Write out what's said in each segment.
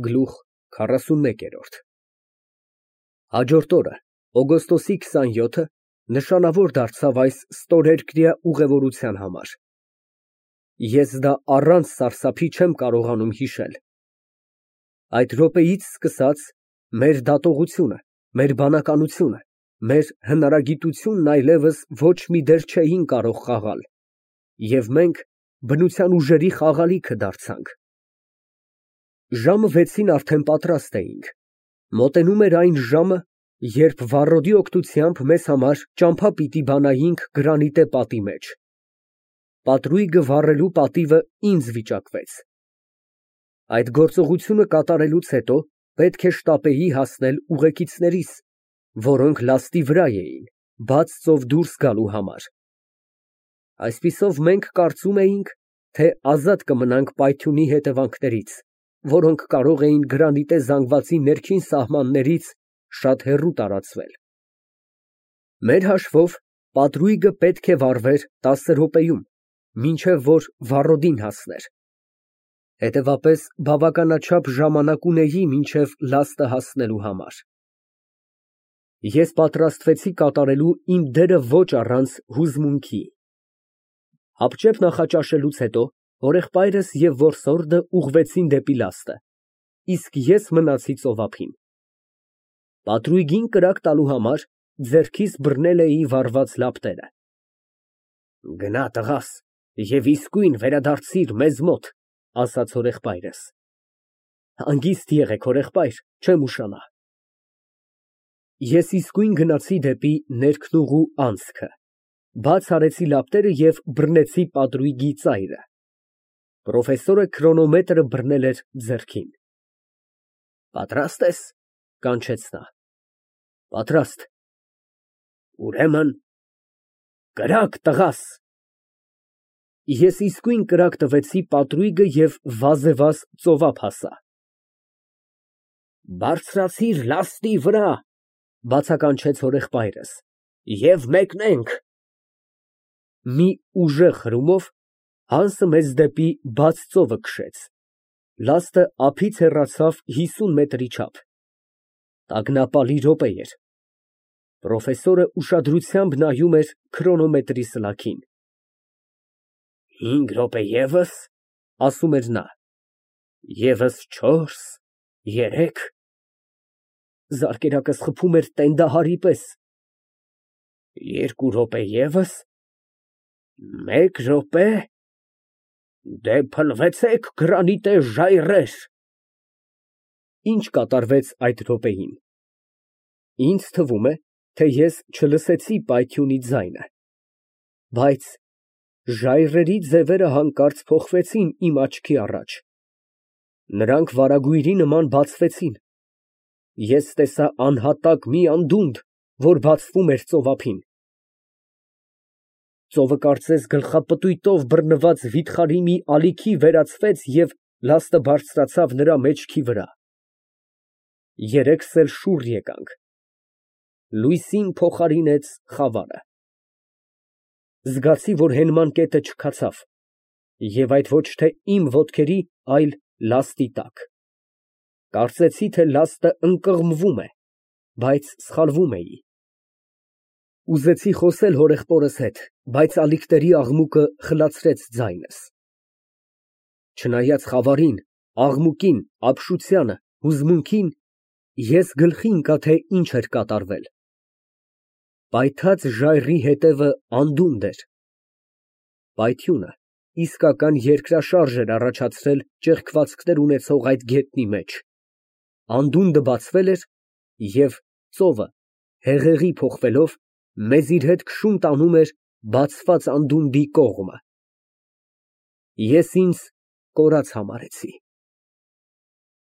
Գլուխ 41 Հաջորդ օրը, օգոստոսի 27-ը, նշանավոր դարձավ այս ստորերկրյա ուղևորության համար։ Ես դա առանց սարսափի չեմ կարողանում հիշել։ Այդ րոպեից սկսած մեր դատողությունը, մեր բանականությունը, մեր հնարագիտությունն այլևս ոչ մի դեր չէին կարող խաղալ, և մենք բնության ուժերի խաղալիքը դարձանք։ Ժամը 6-ին արդեն պատրաստ էինք։ Մոտենում էր այն ժամը, երբ վառոդի օգնությամբ մեզ համար ճամփա պիտի բանայինք գրանիտե պատի մեջ։ Պատրույգը վառելու պատիվը ինձ վիճակվեց։ Այդ գործողությունը կատարելուց հետո պետք է շտապեի հասնել ուղեկիցներիս, որոնք լաստի վրա էին, բաց ծով դուրս գալու համար։ Այսպիսով մենք կարծում էինք, թե ազատ կմնանք պայթյունի հետևանքներից, որոնք կարող էին գրանիտե զանգվածի ներքին սահմաններից շատ հեռու տարածվել։ Մեր հաշվով պատրույգը պետք է վառվեր 10 րոպեում, մինչև որ վառոդին հասներ։ Հետևապես բավականաչափ ժամանակ ունեի մինչև լաստը հասնելու համար։ Ես պատրաստվեցի կատարելու իմ դերը ոչ առանց հուզմունքի։ Հապճեպ նախաճաշելուց հետո հորեղբայրս և որսորդը ուղղվեցին դեպի լաստը, իսկ ես մնացի ծովափին։ Պատրույգին կրակ տալու համար ձեռքիս բռնել էի վառված լապտերը։ «Գնա, տղաս, և իսկույն վերադարձիր մեզ մոտ», ֊ ասաց հորեղբայրս։ «Հանգիստ եղեք, հորեղբայր, չեմ ուշանա»։ Ես իսկույն գնացի դեպի ներքնուղու անցքը, բաց արեցի լապտերը և բռնեցի պատրույգի ծայրը։ Պրոֆեսորը քրոնոմետրը բռնել էր ձեռքին։ «Պատրաստ ես», ֊ կանչեց նա։ «Պատրաստ»։ «Ուրեմն կրակ, տղաս»։ Ես իսկույն կրակ տվեցի պատրույգը և վազեվազ ծովափ հասա։ «Բարձրացիր լաստի վրա», ֊ բացականչեց հորեղբայրս, «և մեկնենք»։ Մի ուժեղ հրումով Հանսը մեզ դեպի բաց ծովը քշեց։ Լաստը ափից հեռացավ 50 մետրի չափ։ Տագնապալի րոպե էր։ Պրոֆեսորը ուշադրությամբ նայում էր քրոնոմետրի սլաքին։ «5 րոպե ևս», ֊ ասում էր նա, «ևս 4, 3»։ Զարկերակս խփում էր տենդահարի պես։ «2 րոպե ևս, 1 րոպե, դե փլվեցեք, գրանիտե ժայռեր»։ Ինչ կատարվեց այդ րոպեին։ Ինձ թվում է, թե ես չլսեցի պայթյունի ձայնը, բայց ժայռերի ձևերը հանկարծ փոխվեցին իմ աչքի առաջ։ Նրանք վարագույրի նման բացվեցին։ Ես տեսա անհատակ մի անդունդ, որ բացվում էր ծովափին։ Ծովը կարծես գլխապտույտով բռնված վիթխարի մի ալիքի վերածվեց և լաստը բարձրացավ նրա մեջքի վրա։ Երեքս էլ շուռ եկանք։ Լույսին փոխարինեց խավարը։ Զգացի, որ հենման կետը չքացավ, և այդ ոչ թե իմ ոտքերի, այլ լաստի տակ։ Կարծեցի, թե լաստը ընկղմվում է, բայց սխալվում էի։ Ուզեցի խոսել հորեղբորս հետ, բայց ալիքների աղմուկը խլացրեց ձայնս։ Չնայած խավարին, աղմուկին, ապշությանը, հուզմունքին, ես գլխի ընկա, թե ինչ էր կատարվել։ Պայթած ժայռի հետևը անդունդ էր։ Պայթյունը իսկական երկրաշարժ էր առաջացրել ճեղքվածքներ ունեցող այդ գետնի մեջ։ Անդունդը բացվել էր, և ծովը, հեղեղի փոխվելով, մեզ իր հետ քշում տանում էր բացված անդունդի կողմը։ Ես ինձ կորած համարեցի։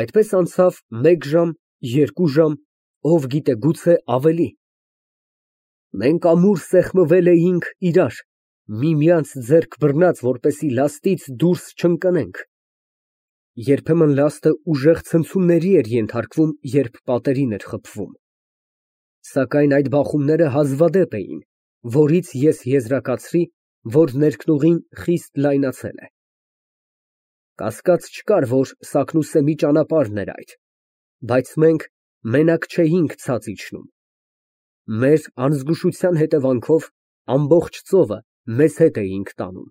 Այդպես անցավ 1 ժամ, 2 ժամ, ով գիտե, գուցե ավելի։ Մենք ամուր սեղմվել էինք իրար, միմյանց ձեռք բռնած, որպեսզի լաստից դուրս չընկնենք։ Երբեմն լաստը ուժեղ ցնցումների էր ենթարկվում, երբ պատերին էր խփվում։ Սակայն այդ բախումները հազվադեպ էին, որից ես եզրակացրի, որ ներքնուղին խիստ լայնացել է։ Կասկած չկար, որ Սաքնուսեմի ճանապարհն էր այդ, բայց մենք մենակ չէինք ցած իջնում։ Մեր անզգուշության հետևանքով ամբողջ ծովը մեզ հետ էինք տանում։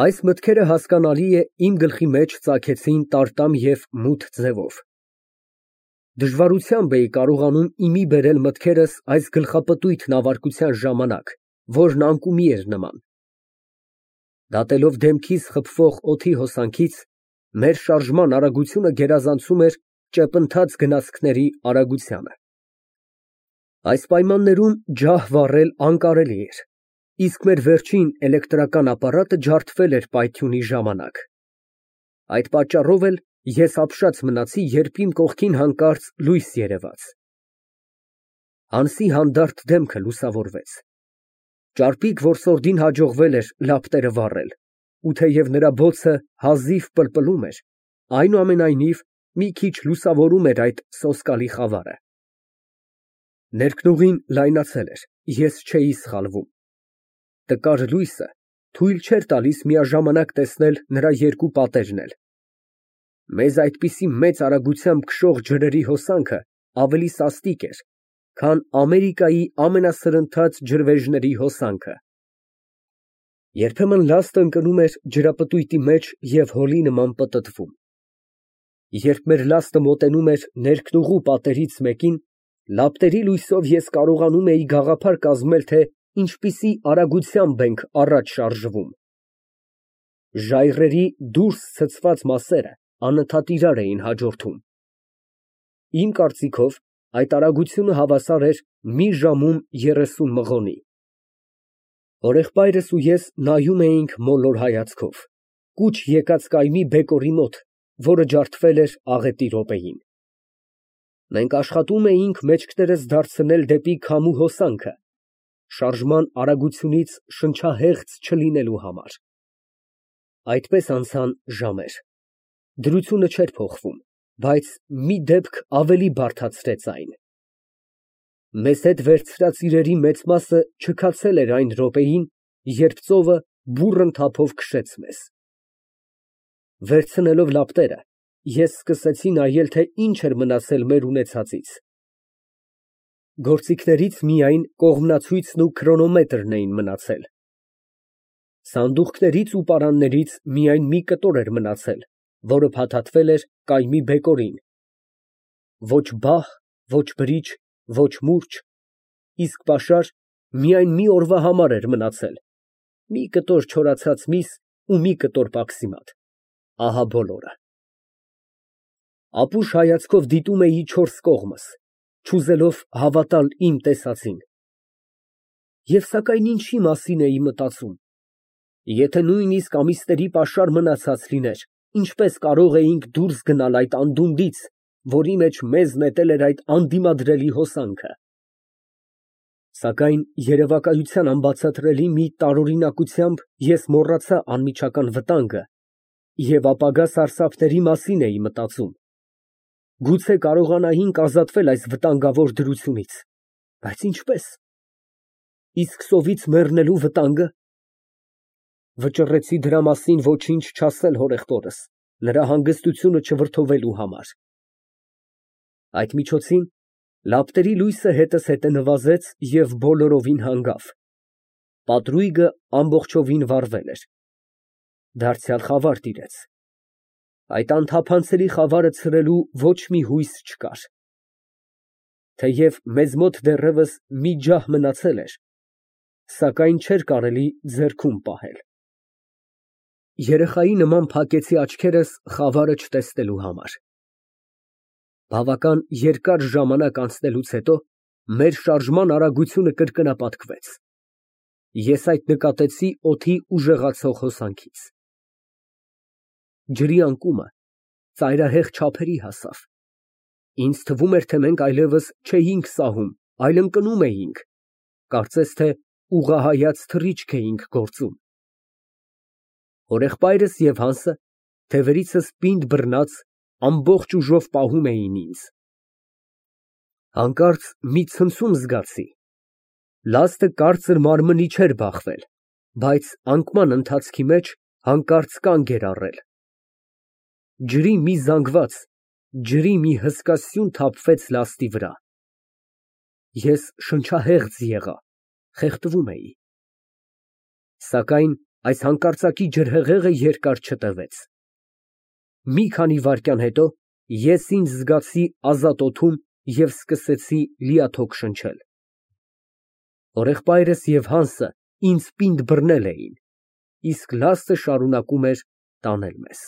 Այս մտքերը, հասկանալի է, իմ գլխի մեջ ծագեցին տարտամ և մութ ձևով։ Դժվարությամբ էի կարողանում իմի բերել մտքերս այս գլխապտույտ նավարկության ժամանակ, որն անկումի էր նման։ Դատելով դեմքիս խփվող օդի հոսանքից, մեր շարժման արագությունը գերազանցում էր ճեպընթաց գնացքների արագությանը։ Այս պայմաններում ջահ վառել անկարելի էր, իսկ մեր վերջին էլեկտրական ապարատը ջարդվել էր պայթյունի ժամանակ։ Այդ պատճառով էլ ես ապշած մնացի, երբ իմ կողքին հանկարծ լույս երևաց։ Հանսի հանդարտ դեմքը լուսավորվեց։ Ճարպիկ որսորդին հաջողվել էր լապտերը վառել, ու թեև նրա բոցը հազիվ պլպլում էր, այնուամենայնիվ մի քիչ լուսավորում էր այդ սոսկալի խավարը։ Ներքնուղին լայնացել էր, ես չէի սխալվում։ Տկար լույսը թույլ չէր տալիս միաժամանակ տեսնել նրա երկու պատերն էլ։ Մեզ այդպիսի մեծ արագությամբ քշող ջրերի հոսանքը ավելի սաստիկ էր, քան Ամերիկայի ամենասրընթաց ջրվեժների հոսանքը։ Երբեմն լաստը ընկնում էր ջրապտույտի մեջ և հոլի նման պտտվում։ Երբ մեր լաստը մոտենում էր ներքնուղու պատերից մեկին, լապտերի լույսով ես կարողանում էի գաղափար կազմել, թե ինչպիսի արագությամբ ենք առաջ շարժվում։ Ժայռերի դուրս ցցված մասերը անընդհատ իրար էին հաջորդում։ Իմ կարծիքով, այդ արագությունը հավասար էր մի ժամում 30 մղոնի։ Հորեղբայրս ու ես նայում էինք մոլոր հայացքով, կուչ եկած կայմի բեկորի մոտ, որը ջարդվել էր աղետի րոպեին։ Մենք աշխատում էինք մեջքներս դարձնել դեպի քամու հոսանքը, շարժման արագությունից շնչահեղձ չլինելու համար։ Այդպես անցան ժամեր։ Դրությունը չէր փոխվում, բայց մի դեպք ավելի բարդացրեց այն։ Մեզ հետ վերցրած իրերի մեծ մասը չքացել էր այն րոպեին, երբ ծովը բուռն թափով քշեց մեզ։ Վերցնելով լապտերը, ես սկսեցի նայել, թե ինչ էր մնացել մեր ունեցածից։ Գործիքներից միայն կողմնացույցն ու քրոնոմետրն էին մնացել։ Սանդուղքներից ու պարաններից միայն մի կտոր էր մնացել, որը փաթաթվել էր կայմի բեկորին։ Ոչ բահ, ոչ բրիջ, ոչ մուրճ, իսկ պաշար միայն մի օրվա համար էր մնացել, մի կտոր չորացած միս ու մի կտոր պաքսիմատ, ահա բոլորը։ Ապուշ հայացքով դիտում էի չորս կողմս, չուզելով հավատալ իմ տեսածին։ Եվ սակայն ինչի մասին էի մտածում։ Եթե նույնիսկ ամիսների պաշար մնացած լիներ, ինչպես կարող էինք դուրս գնալ այդ անդունդից, որի մեջ մեզ նետել էր այդ անդիմադրելի հոսանքը։ Սակայն երևակայության անբացատրելի մի տարօրինակությամբ ես մոռացա անմիջական վտանգը և ապագա սարսափների մասին էի մտածում։ Գուցե կարողանայինք ազատվել այս վտանգավոր դրությունից, բայց ինչպե՞ս։ Իսկ սովից մեռնելու վտանգը։ Վճռեցի դրա մասին ոչինչ չասել հորեղբորս, նրա հանգստությունը չվրդովելու համար։ Այդ միջոցին լապտերի լույսը հետս հետը նվազեց և բոլորովին հանգավ։ Պատրույգը ամբողջովին վառվել էր։ Դարձյալ խավար տիրեց։ Այդ անթափանցելի խավարը ցրելու ոչ մի հույս չկար։ Թեև մեզ մոտ դեռևս մի ջահ մնացել էր, սակայն չէր կարելի ձեռքում պահել։ Երեխայի նման փակեցի աչքերս խավարը չտեսնելու համար։ Բավական երկար ժամանակ անցնելուց հետո մեր շարժման արագությունը կրկնապատկվեց։ Ես այդ նկատեցի օդի ուժեղացող հոսանքից։ Ջրի անկումը ծայրահեղ չափերի հասավ։ Ինձ թվում էր, թե մենք այլևս չէինք սահում, այլ ընկնում էինք, կարծես թե ուղղահայաց թռիչք էինք գործում։ Հորեղբայրս և Հանսը, թևերիցս պինդ բռնած, ամբողջ ուժով պահում էին ինձ։ Հանկարծ մի ցնցում զգացի։ Լաստը կարծր մարմնի չէր բախվել, բայց անկման ընթացքի մեջ հանկարծ կանգ էր առել։ ջրի մի զանգված, ջրի մի հսկա սյուն թափվեց լաստի վրա։ Ես շնչահեղձ եղա, խեղդվում էի։ Սակայն այս հանկարծակի ջրհեղեղը երկար չտևեց։ Մի քանի վայրկյան հետո ես ինձ զգացի ազատ օդում և սկսեցի լիաթոք շնչել։ Հորեղբայրս և Հանսը ինձ պինդ բռնել էին, իսկ լաստը շարունակում էր տանել մեզ։